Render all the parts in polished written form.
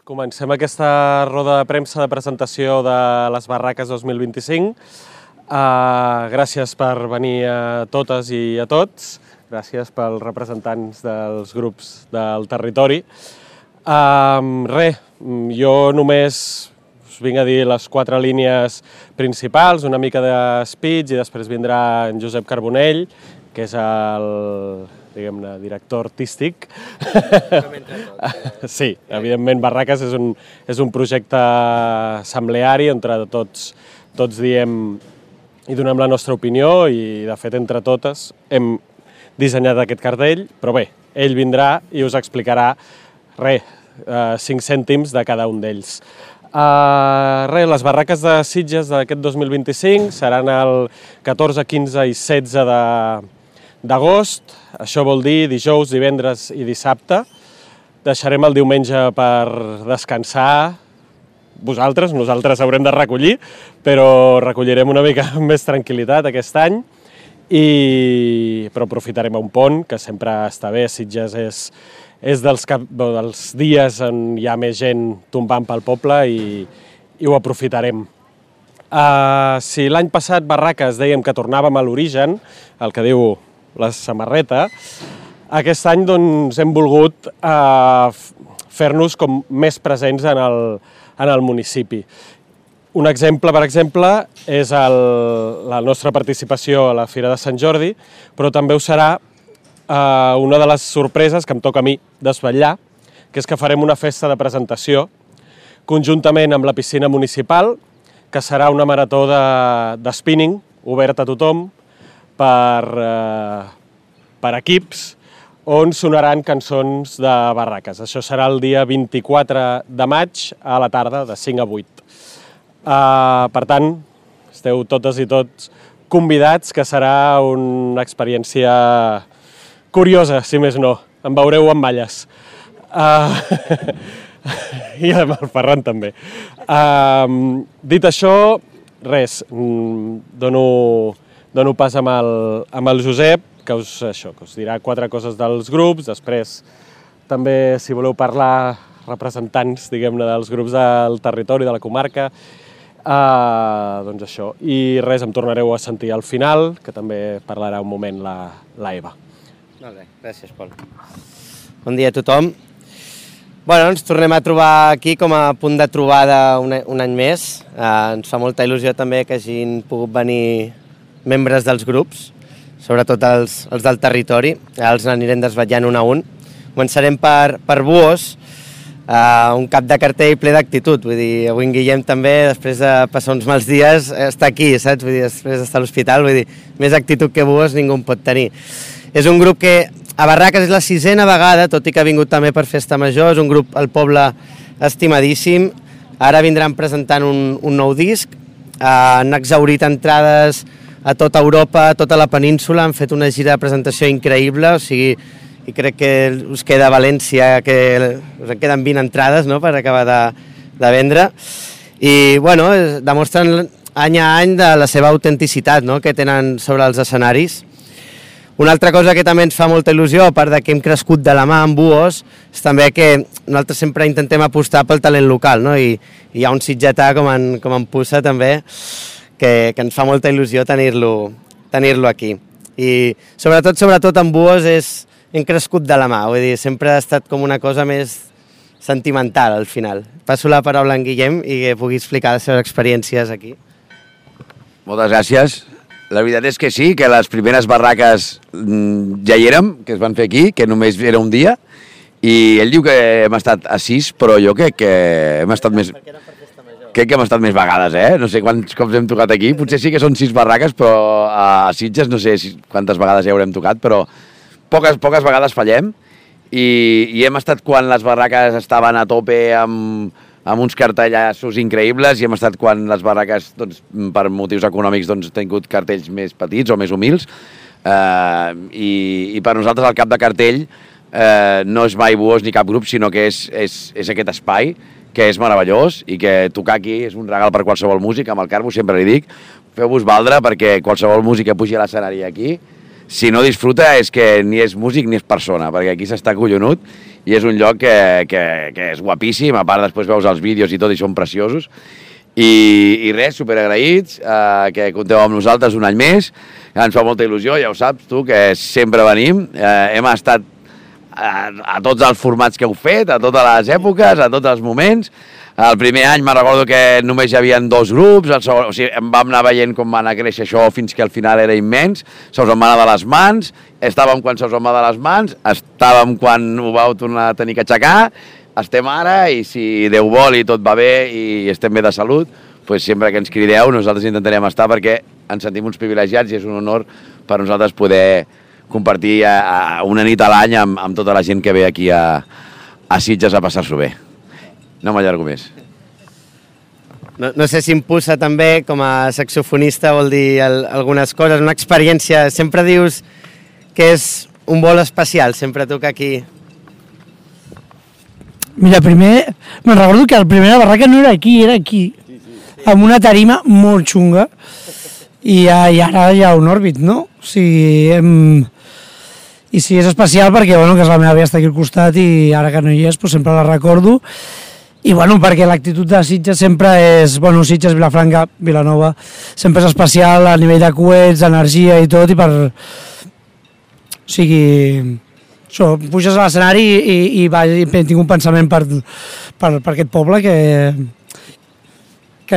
Comencem aquesta roda de premsa de presentació de les Barraques 2025. Gràcies per venir a totes i a tots. Gràcies pels representants dels grups del territori. Jo només us vinc a dir les 4 línies principals, una mica de speech, i després vindrà en Josep Carbonell, que és el director artístic. Sí, evidentment Barraques és un projecte assembleari on tots diem i donem la nostra opinió i, de fet, entre totes hem dissenyat aquest cartell, però bé, ell vindrà i us explicarà 5 cèntims de cada un d'ells. Les Barraques de Sitges d'aquest 2025 seran el 14, 15 i 16 d'agost. Això vol dir dijous, divendres i dissabte. Deixarem el diumenge per descansar vosaltres, nosaltres haurem de recollir, però recollirem una mica amb més tranquil·litat aquest any, però aprofitarem un pont, que sempre està bé. Sitges és dels dies on hi ha més gent tombant pel poble i ho aprofitarem. Si l'any passat Barraques dèiem que tornàvem a l'origen, el que diu la samarreta, aquest any hem volgut fer-nos com més presents en el municipi. Un exemple, per exemple, és la nostra participació a la Fira de Sant Jordi, però també ho serà una de les sorpreses que em toca a mi desvetllar, que és que farem una festa de presentació conjuntament amb la piscina municipal, que serà una marató de spinning obert a tothom per equips, on sonaran cançons de Barraques. Això serà el dia 24 de maig a la tarda, de 5 a 8. Per tant, esteu totes i tots convidats, que serà una experiència curiosa, si més no. Em veureu amb malles. I amb el Ferran també. Dit això, res, dono pas amb el Josep, que us dirà 4 coses dels grups. Després, també, si voleu parlar, representants, diguem-ne, dels grups del territori, de la comarca, doncs això. I res, em tornareu a sentir al final, que també parlarà un moment la Eva. Molt bé, gràcies, Pol. Bon dia a tothom. Ens tornem a trobar aquí com a punt de trobada un any més. Ens fa molta il·lusió també que hagin pogut venir membres dels grups, sobretot els del territori. Els anirem desvetllant un a un. Començarem per Buos, un cap de cartell ple d'actitud. Vull dir, avui en Guillem també, després de passar uns mals dies, està aquí, saps? Vull dir, després d'estar a l'hospital, vull dir, més actitud que Buos ningú en pot tenir. És un grup que a Barraques és la 6a vegada, tot i que ha vingut també per Festa Major. És un grup al poble estimadíssim. Ara vindran presentant un nou disc. Han exhaurit entrades a tota Europa, a tota la península. Han fet una gira de presentació increïble, i crec que us queda a València, que us en queden 20 entrades, no?, per acabar de vendre. I, demostren any a any de la seva autenticitat, no?, que tenen sobre els escenaris. Una altra cosa que també ens fa molta il·lusió, a part que hem crescut de la mà amb Buos, és també que nosaltres sempre intentem apostar pel talent local, no? I hi ha un sitgetà com en Pussa també, que ens fa molta il·lusió tenir-lo aquí. I sobretot amb Buos hem crescut de la mà, vull dir, sempre ha estat com una cosa més sentimental al final. Passo la paraula a en Guillem i que pugui explicar les seves experiències aquí. Moltes gràcies. La veritat és que sí, que les primeres barraques ja hi érem, que es van fer aquí, que només era un dia, i ell diu que hem estat a 6, però jo crec que hem estat més... Crec que hem estat més vegades, No sé quants cops hem tocat aquí, potser sí que són 6 barraques, però a Sitges no sé quantes vegades ja haurem tocat, però poques vegades fallem, i hem estat quan les barraques estaven a tope amb uns cartellassos increïbles, i hem estat quan les barraques, per motius econòmics, han tingut cartells més petits o més humils, i per nosaltres el cap de cartell no és mai Buos ni cap grup, sinó que és aquest espai, que és meravellós, i que tocar aquí és un regal per qualsevol músic. Amb el Carbo sempre li dic, feu-vos valdre perquè qualsevol músic que pugi a l'escenari aquí, si no disfruta és que ni és músic ni és persona, perquè aquí s'està collonut, i és un lloc que és guapíssim, a part després veus els vídeos i tot i són preciosos. I res, superagraïts, que compteu amb nosaltres un any més, ens fa molta il·lusió, ja ho saps tu, que sempre venim, hem estat a tots els formats que heu fet, a totes les èpoques, a tots els moments. El primer any me'n recordo que només hi havia 2 grups, o sigui, vam anar veient com va anar a créixer això fins que al final era immens, se us en va anar de les mans, estàvem quan se us en va de les mans, estàvem quan ho vau tornar a tenir que aixecar, estem ara i si Déu vol i tot va bé i estem bé de salut, doncs sempre que ens crideu nosaltres intentarem estar perquè ens sentim uns privilegiats i és un honor per nosaltres poder compartir una nit a l'any amb tota la gent que ve aquí a Sitges a passar-s'ho bé. No m'allargo més. No sé si impulsa també, com a saxofonista, vol dir algunes coses, una experiència. Sempre dius que és un vol especial, sempre toca aquí. Mira, primer, me'n recordo que la primera barraca no era aquí, era aquí, amb una tarima molt xunga, i ara hi ha un òrbit, no? O sigui, i sí, és especial perquè, bueno, que la meva àvia està aquí al costat i ara que no hi és, doncs sempre la recordo. I, bueno, perquè l'actitud de Sitges sempre és, bueno, Sitges, Vilafranca, Vilanova, sempre és especial a nivell de coets, d'energia i tot, i per... O sigui... Això, puges a l'escenari i tinc un pensament per aquest poble que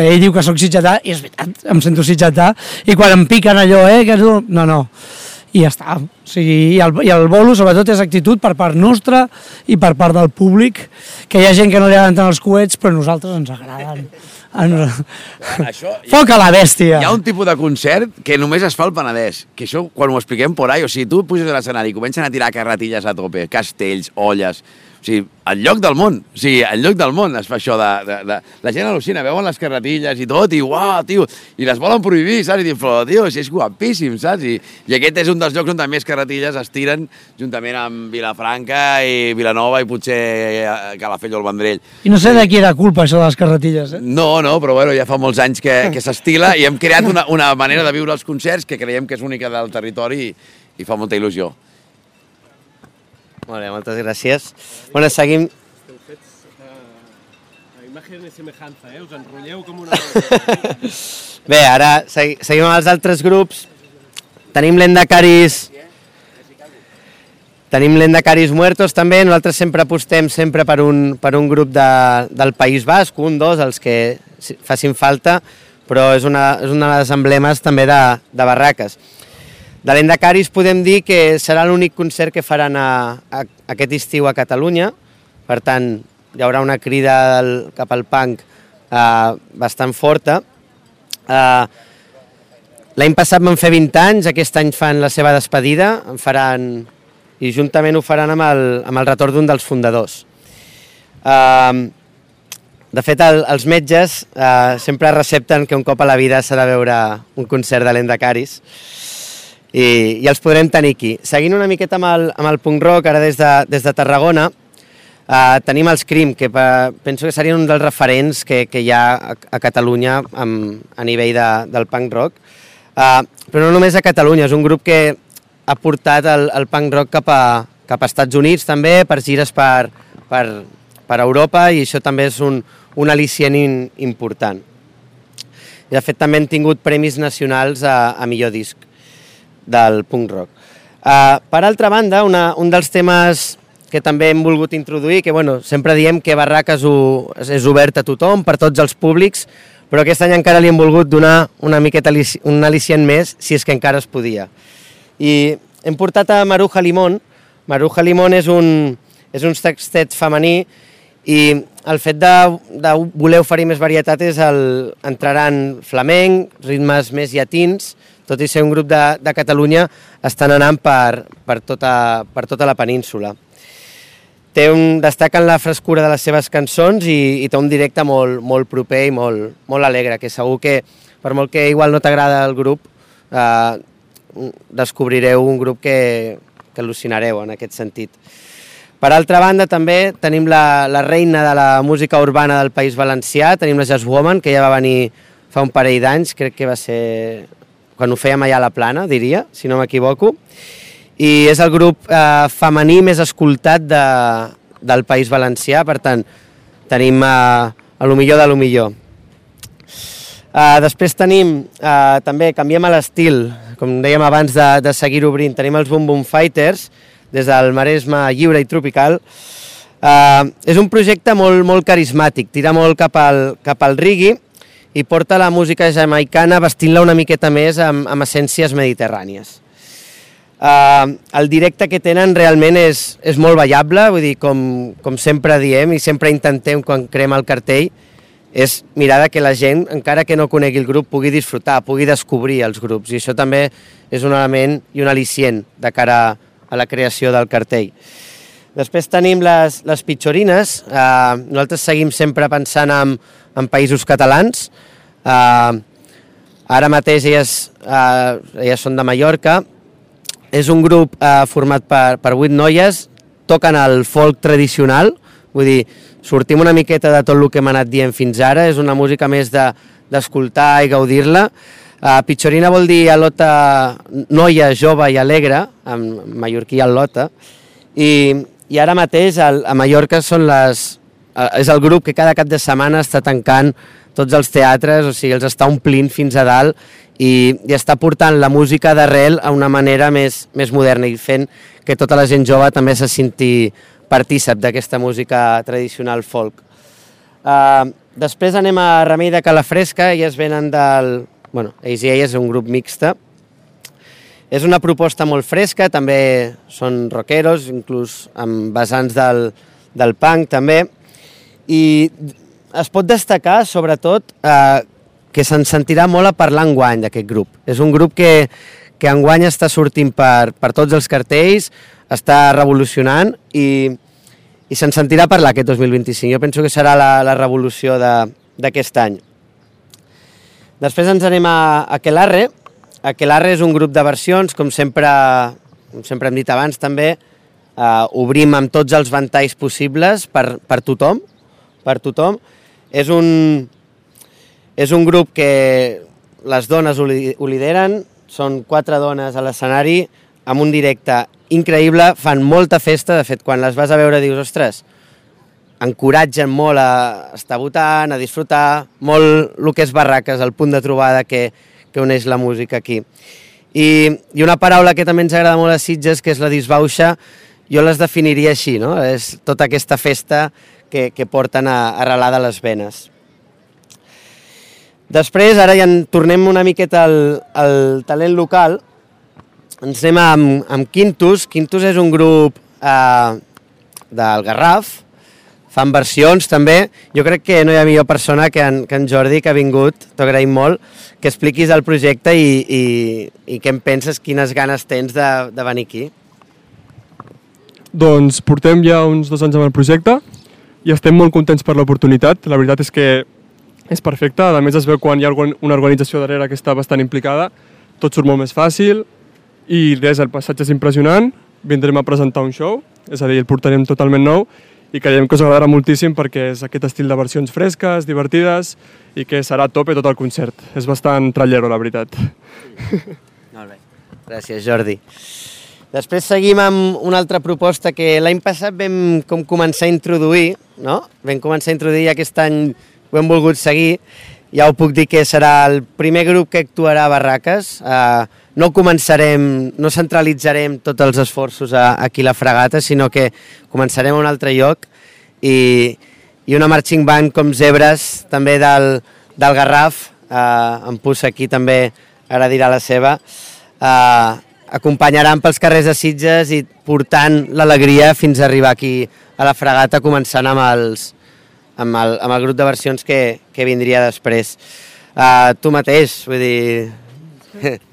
ell diu que sóc sitgetà, i és veritat, em sento sitgetà, i quan em piquen allò, que no, i ja està. O sigui, i el bolo, sobretot, és actitud per part nostra i per part del públic, que hi ha gent que no li agraden tant els coets, però a nosaltres ens agraden. Foc a la bèstia! Hi ha un tipus de concert que només es fa al Penedès, que això, quan ho expliquem por ahí, o sigui, tu puges a l'escenari i comencen a tirar carretilles a tope, castells, olles... O sigui, enlloc del món, es fa això de... La gent al·lucina, veuen les carretilles i tot, i uau, tio, i les volen prohibir, saps? I diuen, però, tio, és guapíssim, saps? I aquest és un dels llocs on més carretilles es tiren, juntament amb Vilafranca i Vilanova i potser Calafell o el Vendrell. I no sé de qui era culpa, això de les carretilles, eh? No, però bueno, ja fa molts anys que s'estila i hem creat una manera de viure els concerts que creiem que és única del territori i fa molta il·lusió. Molt bé, moltes gràcies. Bueno, seguim... Esteu fets a imatge de semejança, us enrotlleu com una... Bé, ara seguim amb els altres grups. Tenim l'Endacaris Muertos també. Nosaltres sempre apostem per un grup del País Basc, dos, els que facin falta, però és una de les emblemes també de barraques. De l'Endacaris podem dir que serà l'únic concert que faran aquest estiu a Catalunya, per tant hi haurà una crida cap al punk bastant forta. L'any passat van fer 20 anys, aquest any fan la seva despedida, i juntament ho faran amb el retorn d'un dels fundadors. De fet, els metges sempre recepten que un cop a la vida s'ha de veure un concert de l'Endacaris, i els podrem tenir aquí. Seguint una miqueta amb el punk rock, ara des de Tarragona, tenim els Crim, que penso que serien un dels referents que hi ha a Catalunya a nivell del punk rock. Però no només a Catalunya, és un grup que ha portat el punk rock cap a Estats Units també, per gires per Europa, i això també és un al·licient important. I de fet també han tingut premis nacionals a millor disc del punk rock. Per altra banda, un dels temes que també hem volgut introduir, que sempre diem que Barraques és obert a tothom, per tots els públics, però aquest any encara li hem volgut donar una miqueta un al·licient més, si és que encara es podia. I hem portat a Maruja Limón. Maruja Limón és un sextet femení, i el fet de voler oferir més varietat és entraran flamenc, ritmes més llatins, tot i ser un grup de Catalunya, estan anant per tota la península. Destaquen la frescura de les seves cançons i té un directe molt proper i molt alegre, que segur que, per molt que igual no t'agrada el grup, descobrireu un grup que al·lucinareu en aquest sentit. Per altra banda, també tenim la reina de la música urbana del País Valencià, tenim la Jazz Woman, que ja va venir fa un parell d'anys, crec que va ser quan ho fèiem allà a la Plana, diria, si no m'equivoco, i és el grup femení més escoltat del País Valencià, per tant, tenim a lo millor de lo millor. Després tenim, també canviem l'estil, com dèiem abans de seguir obrint, tenim els Boom Boom Fighters, des del Maresme lliure i tropical. És un projecte molt carismàtic, tira molt cap al reggae i porta la música jamaicana vestint-la una miqueta més amb essències mediterrànies. El directe que tenen realment és molt ballable, vull dir, com sempre diem i sempre intentem quan creem el cartell, és mirar que la gent, encara que no conegui el grup, pugui disfrutar, pugui descobrir els grups, i això també és un element i un al·licient de cara a la creació del cartell. Després tenim les pitxorines. Nosaltres seguim sempre pensant en països catalans. Ara mateix elles són de Mallorca. És un grup format per 8 noies, toquen el folk tradicional, vull dir, sortim una miqueta de tot el que hem anat dient fins ara, és una música més d'escoltar i gaudir-la. Pitxorina vol dir al·lota noia, jove i alegre, en mallorquí al·lota, i ara mateix a Mallorca és el grup que cada cap de setmana està tancant tots els teatres, o sigui, els està omplint fins a dalt i està portant la música d'arrel a una manera més moderna i fent que tota la gent jove també se senti partícip d'aquesta música tradicional folk. Després anem a Remei de Calafresca, elles venen Bueno, ells i elles és un grup mixta. És una proposta molt fresca, també són rockeros, inclús amb vessants del punk també, i es pot destacar sobretot que se'n sentirà molt a parlar enguany d'aquest grup. És un grup que enguany està sortint per tots els cartells, està revolucionant i se'n sentirà parlar aquest 2025. Jo penso que serà la revolució d'aquest any. Després ens anem a Aquelarre. Aquelarre és un grup de versions, com sempre hem dit abans també, obrim amb tots els ventalls possibles per tothom. És un grup que les dones ho lideren, són 4 dones a l'escenari, amb un directe increïble, fan molta festa, de fet, quan les vas a veure dius, ostres, encoratgen molt a estar votant, a disfrutar, molt el que és barraques, el punt de trobada que uneix la música aquí. I una paraula que també ens agrada molt a Sitges, que és la disbauxa, jo les definiria així, no? És tota aquesta festa que porten arrelada a les venes. Després, ara ja en tornem una miqueta al talent local, ens anem amb Quintus. Quintus és un grup del Garraf, fan versions també. Jo crec que no hi ha millor persona que en Jordi, que ha vingut, t'ho agraïm molt, que expliquis el projecte i què en penses, quines ganes tens de venir aquí. Doncs portem ja uns 2 anys amb el projecte i estem molt contents per l'oportunitat. La veritat és que és perfecte, a més es veu quan hi ha una organització darrere que està bastant implicada, tot surt molt més fàcil i res, el passatge és impressionant, vindrem a presentar un show, és a dir, el portarem totalment nou i creiem que us agradarà moltíssim perquè és aquest estil de versions fresques, divertides i que serà a tope tot el concert. És bastant trallero, la veritat. Molt bé, gràcies Jordi. Després seguim amb una altra proposta que l'any passat vam començar a introduir, no? Vam començar a introduir i aquest any ho hem volgut seguir. Ja ho puc dir que serà el primer grup que actuarà a Barraques. No centralitzarem tots els esforços aquí a la Fragata, sinó que començarem a un altre lloc i una marching band com Zebres, també del Garraf, en Pussa aquí també ara dirà la seva, acompanyaran pels carrers de Sitges i portant l'alegria fins a arribar aquí a la Fragata, començant amb el grup de versions que vindria després. Tu mateix, vull dir...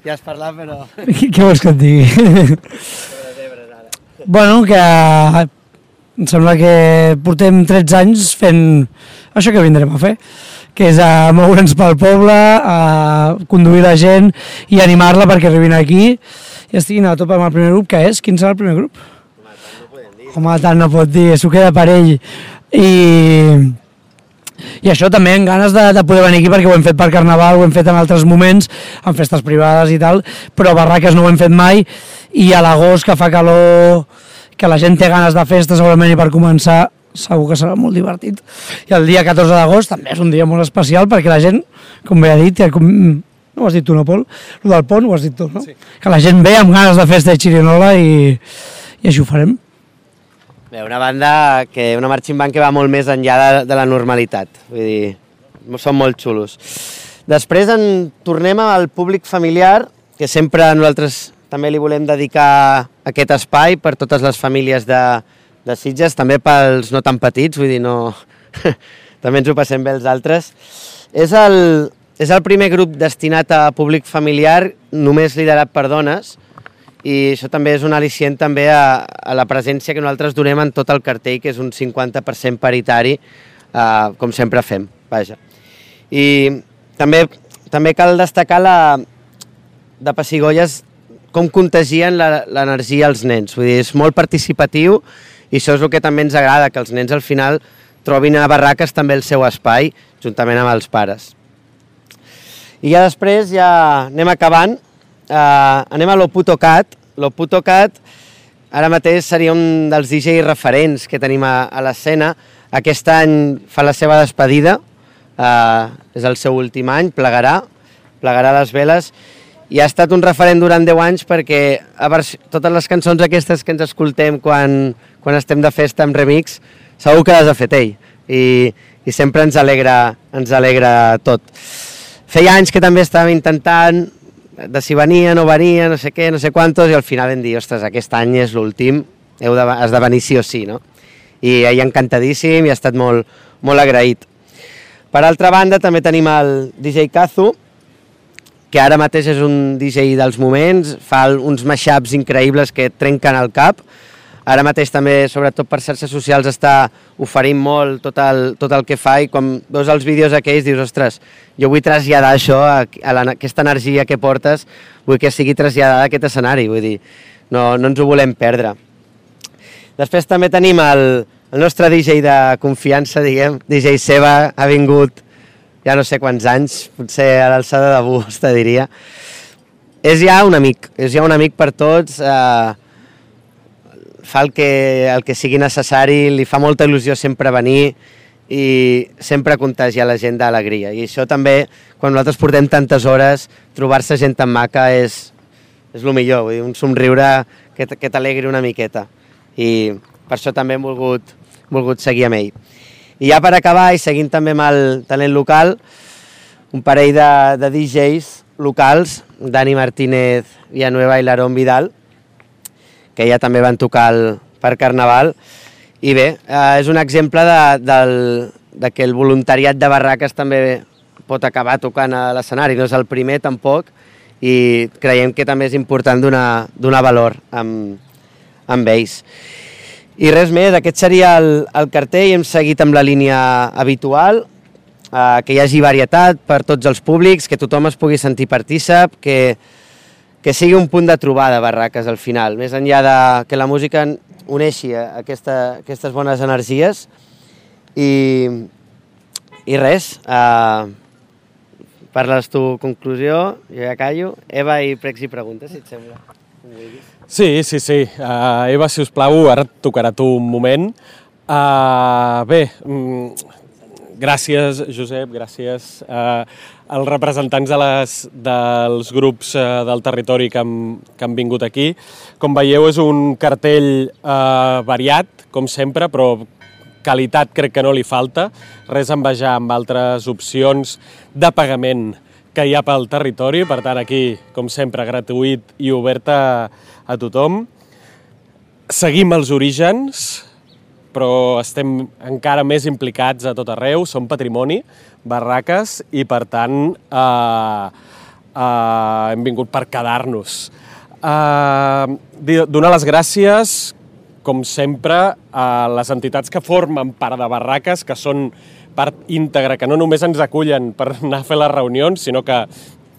Ja has parlat, però... Què vols que et digui? Bueno, que em sembla que portem 13 anys fent això que vindrem a fer, que és a moure'ns pel poble, a conduir la gent i animar-la perquè arribin aquí i estiguin a tope amb el primer grup, que és? Quin serà el primer grup? Home, tant no pot dir, s'ho queda per ell. I això també amb ganes de poder venir aquí perquè ho hem fet per Carnaval, ho hem fet en altres moments, en festes privades i tal, però Barraques no ho hem fet mai i a l'agost que fa calor, que la gent té ganes de festa segurament i per començar segur que serà molt divertit. I el dia 14 d'agost també és un dia molt especial perquè la gent, com bé ha dit, no ho has dit tu, no, Pol? El del pont ho has dit tu, no? Sí. Que la gent ve amb ganes de festa de xirinola i així ho farem. Bé, una banda, una marching band que va molt més enllà de la normalitat. Vull dir, són molt xulos. Després tornem al públic familiar, que sempre nosaltres també li volem dedicar aquest espai per totes les famílies de Sitges, també pels no tan petits, vull dir, no... també ens ho passem bé els altres. És el primer grup destinat a públic familiar, només liderat per dones, i això també és un al·licient també a la presència que nosaltres donem en tot el cartell, que és un 50% paritari, com sempre fem, vaja. I també cal destacar de Pessigolles com contagien l'energia als nens. Vull dir, és molt participatiu i això és el que també ens agrada, que els nens al final trobin a Barraques també el seu espai, juntament amb els pares. I ja després, anem acabant, anem a l'Oputocat. L'Oputocat ara mateix seria un dels DJs referents que tenim a l'escena. Aquest any fa la seva despedida, és el seu últim any, plegarà les veles, i ha estat un referent durant 10 anys perquè totes les cançons aquestes que ens escoltem quan estem de festa amb remix, segur que les ha fet ell, i sempre ens alegra tot. Feia anys que també estàvem intentant de si venia, no venia, no sé què, no sé quantos, i al final vam dir, ostres, aquest any és l'últim, has de venir sí o sí, no? I ell encantadíssim i ha estat molt, molt agraït. Per altra banda, també tenim el DJ Kazu, que ara mateix és un DJ dels moments, fa uns mashups increïbles que et trenquen el cap. Ara mateix també, sobretot per xarxes socials, està oferint molt tot el que fa, i quan veus els vídeos aquells dius, ostres, jo vull traslladar això, aquesta energia que portes, vull que sigui traslladada a aquest escenari, vull dir, no ens ho volem perdre. Després també tenim el nostre DJ de confiança, diguem, DJ Seba, ha vingut ja no sé quants anys, potser a l'alçada de bus, te diria. És ja un amic per tots, fa el que sigui necessari, li fa molta il·lusió sempre venir i sempre contagiar la gent d'alegria. I això també, quan nosaltres portem tantes hores, trobar-se gent tan maca és el millor, vull dir, un somriure que t'alegri una miqueta. I per això també hem volgut seguir amb ell. I ja per acabar, i seguint també amb el talent local, un parell de DJs locals, Dani Martínez Villanueva i l'Aaron Vidal, que ja també van tocar per Carnaval. I bé, és un exemple de que el voluntariat de Barraques també pot acabar tocant a l'escenari. No és el primer, tampoc, i creiem que també és important donar valor amb ells. I res més, aquest seria el cartell, hem seguit amb la línia habitual, que hi hagi varietat per tots els públics, que tothom es pugui sentir partícip, que sigui un punt de trobada Barraques al final, més enllà que la música uneixi aquestes bones energies. I res, parles tu conclusió, jo ja callo. Eva, i pregs i preguntes, si et sembla. Sí. Eva, si us plau, ara et tocarà tu un moment. Bé, gràcies, Josep, gràcies als representants dels grups del territori que han vingut aquí. Com veieu, és un cartell variat, com sempre, però qualitat crec que no li falta. Res a envejar amb altres opcions de pagament que hi ha pel territori, per tant aquí, com sempre, gratuït i obert a tothom. Seguim els orígens, però estem encara més implicats a tot arreu, som patrimoni, Barraques, i per tant hem vingut per quedar-nos. Donar les gràcies, com sempre, a les entitats que formen part de Barraques, que són part íntegra, que no només ens acullen per anar a fer les reunions, sinó que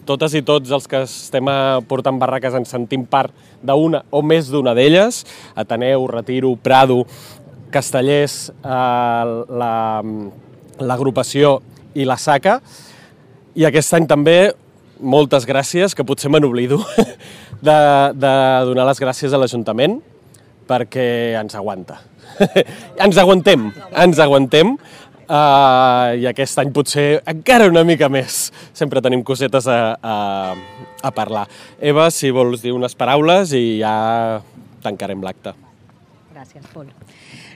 totes i tots els que estem portant Barraques ens sentim part d'una o més d'una d'elles, Ateneu, Retiro, Prado, Castellers, l'agrupació i la SACA. I aquest any també, moltes gràcies, que potser me n'oblido, de donar les gràcies a l'Ajuntament perquè ens aguanta. Ens aguantem, i aquest any potser encara una mica més. Sempre tenim cosetes a parlar. Eva, si vols dir unes paraules i ja tancarem l'acte. Gràcies, Pol.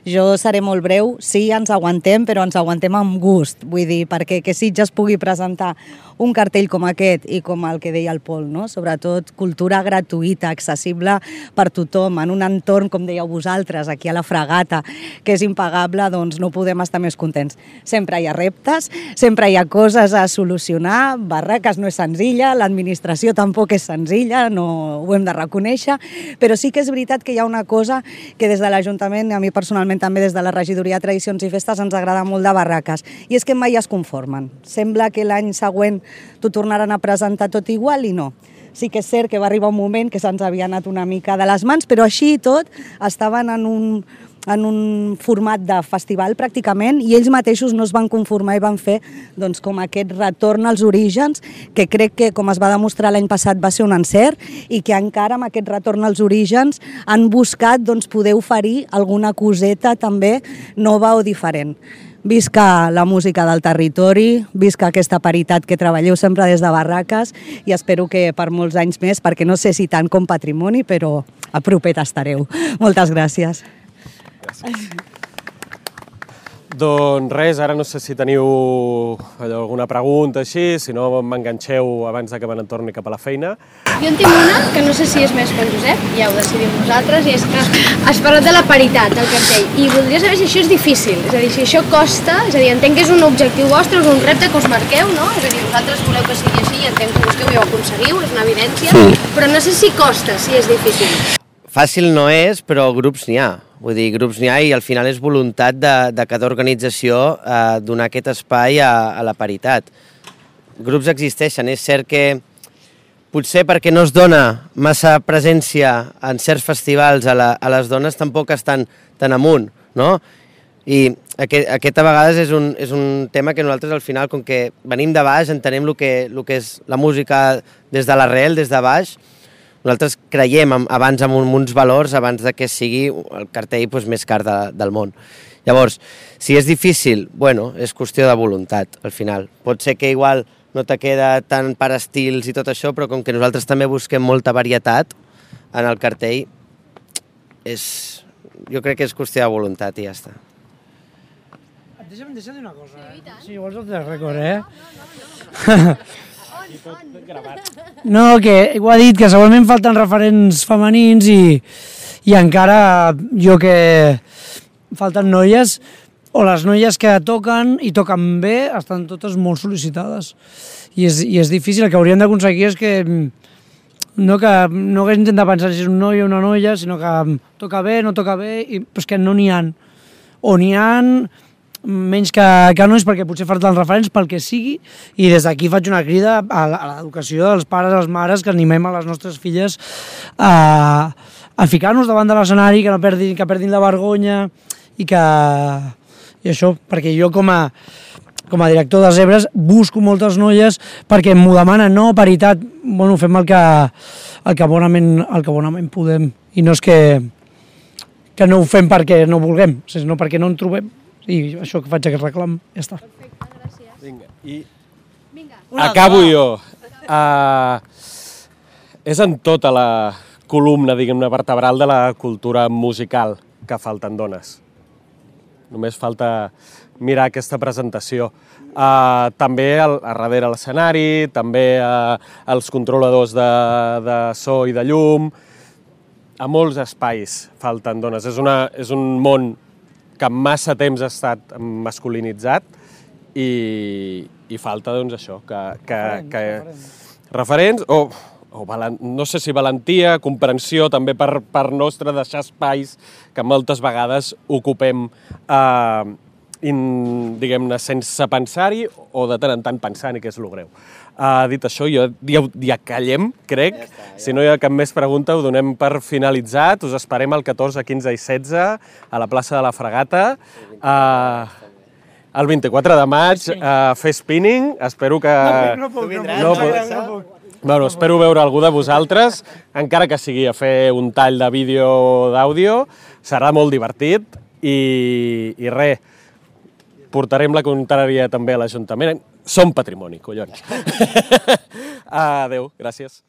Jo seré molt breu. Sí, ens aguantem, però ens aguantem amb gust. Vull dir, perquè que Sitges pugui presentar un cartell com aquest i com el que deia el Pol, no? Sobretot cultura gratuïta, accessible per tothom, en un entorn, com dèieu vosaltres, aquí a la Fragata, que és impagable, doncs no podem estar més contents. Sempre hi ha reptes, sempre hi ha coses a solucionar, Barraques no és senzilla, l'administració tampoc és senzilla, no ho hem de reconèixer, però sí que és veritat que hi ha una cosa que des de l'Ajuntament, a mi personalment també des de la Regidoria de Tradicions i Festes, ens agrada molt de Barraques, i és que mai es conformen. Sembla que l'any següent t'ho tornaran a presentar tot igual i no. Sí que és cert que va arribar un moment que se'ns havia anat una mica de les mans, però així i tot estaven en un format de festival pràcticament i ells mateixos no es van conformar i van fer doncs, com aquest retorn als orígens, que crec que, com es va demostrar l'any passat, va ser un encert i que encara amb aquest retorn als orígens han buscat doncs, poder oferir alguna coseta també nova o diferent. Visca la música del territori, visca aquesta paritat que treballeu sempre des de Barraques i espero que per molts anys més, perquè no sé si tant com patrimoni, però a propet estareu. Moltes gràcies. Doncs res, ara no sé si teniu alguna pregunta així, si no m'enganxeu abans que me n'entorni cap a la feina. Jo en tinc una, que no sé si és més pel Josep, ja ho decidim vosaltres, i és que has parlat de la paritat del cartell, i voldria saber si això és difícil, és a dir, si això costa, és a dir, entenc que és un objectiu vostre, és un repte que us marqueu, no? És a dir, vosaltres voleu que sigui així, entenc que busqueu i ho aconseguiu, és una evidència, sí. Però no sé si costa, si és difícil. Fàcil no és, però grups n'hi ha. Vull dir, grups n'hi ha i al final és voluntat de cada organització donar aquest espai a la paritat. Grups existeixen, és cert que potser perquè no es dona massa presència en certs festivals a les dones tampoc estan tan amunt, no? I aquest a vegades és un tema que nosaltres al final, com que venim de baix, entenem el que és la música des de l'arrel, des de baix. Nosaltres creiem abans en uns valors abans que sigui el cartell més car del món. Llavors, si és difícil, bueno, és qüestió de voluntat, al final. Pot ser que igual no te queda tant per estils i tot això, però com que nosaltres també busquem molta varietat en el cartell, jo crec que és qüestió de voluntat i ja està. Deixa'm dir una cosa. Si vols el rècord, No, que ho ha dit, que segurament falten referents femenins i encara jo que falten noies, o les noies que toquen i toquen bé estan totes molt sol·licitades. I és difícil, el que hauríem d'aconseguir és que no haguéssim de pensar si és un noi o una noia, sinó que toca bé, no toca bé, però és que no n'hi ha. O n'hi ha menys que nois, perquè potser falten referents pel que sigui, i des d'aquí faig una crida a l'educació dels pares i les mares, que animem a les nostres filles a ficar-nos davant de l'escenari, que no perdin la vergonya, i això, perquè jo com a director de Zebres busco moltes noies perquè m'ho demanen, no, paritat, bueno, fem el que bonament podem, i no és que no ho fem perquè no vulguem, sinó perquè no en trobem. I això que faig aquest reclam, ja està. Perfecte, gràcies. Vinga, i acabo jo. És en tota la columna, diguem-ne, vertebral de la cultura musical que falten dones. Només falta mirar aquesta presentació. També a darrere l'escenari, també als controladors de so i de llum. A molts espais falten dones. És un món que massa temps ha estat masculinitzat i falta, doncs, això, que referents o no sé si valentia, comprensió també per nostra, deixar espais que moltes vegades ocupem, diguem-ne, sense pensar-hi o de tant en tant pensant-hi, que és el greu. Dit això, ja callem, crec. Si no hi ha cap més pregunta, ho donem per finalitzat. Us esperem el 14, 15 i 16 a la plaça de la Fragata. el 24 de maig a fer spinning. Espero que... No puc. Bueno, espero veure algú de vosaltres, encara que sigui a fer un tall de vídeo o d'àudio. Serà molt divertit i res, portarem la contrària també a l'Ajuntament. Som patrimoni, collons. Adéu, gràcies.